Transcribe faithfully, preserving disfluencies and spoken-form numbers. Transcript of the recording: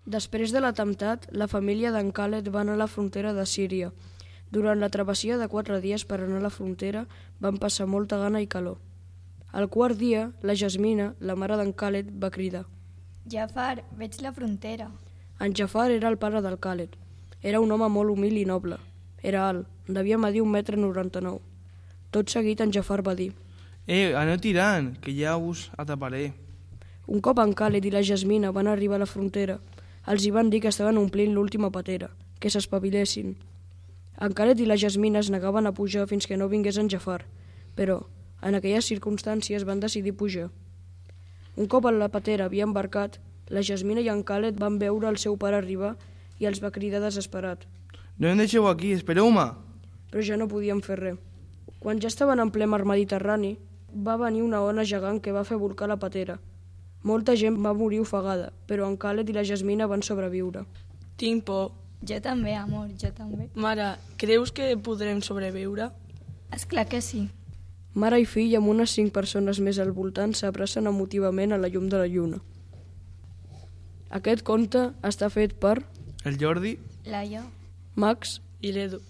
Després de l'atemptat, la família d'en Khaled va anar a la frontera de Síria. Durant la travessia de quatre dies per anar a la frontera van passar molta gana i calor. Al quart dia, la Jasmina, la mare d'en Khaled, va cridar. Jafar, veig la frontera. En Jafar era el pare del Khaled. Era un home molt humil i noble. Era alt, devia medir un metre noranta-nou. Tot seguit en Jafar va dir: Eh, aneu tirant, que ja us ataparé. Un cop en Khaled i la Jasmina van arribar a la frontera, els hi van dir que estaven omplint l'última patera, que s'espavilessin. En Khaled i la Jasmina es negaven a pujar fins que no vingués en Jafar, però en aquelles circumstàncies van decidir pujar. Un cop la patera havia embarcat, la Jasmina i en Khaled van veure el seu pare arribar i els va cridar desesperat. No em deixeu aquí, espereu-me. Però ja no podien fer res. Quan ja estaven en ple mar Mediterrani, va venir una ona gegant que va fer volcar la patera. Molta gent va morir ofegada, però en Khaled i la Jasmina van sobreviure. Tinc por. Jo també, amor, jo també. Mare, creus que podrem sobreviure? És clar que sí. Mare i fill amb unes cinc persones més al voltant s'abracen emotivament a la llum de la lluna. Aquest conte està fet per El Jordi? Laia. Max I l'Edu.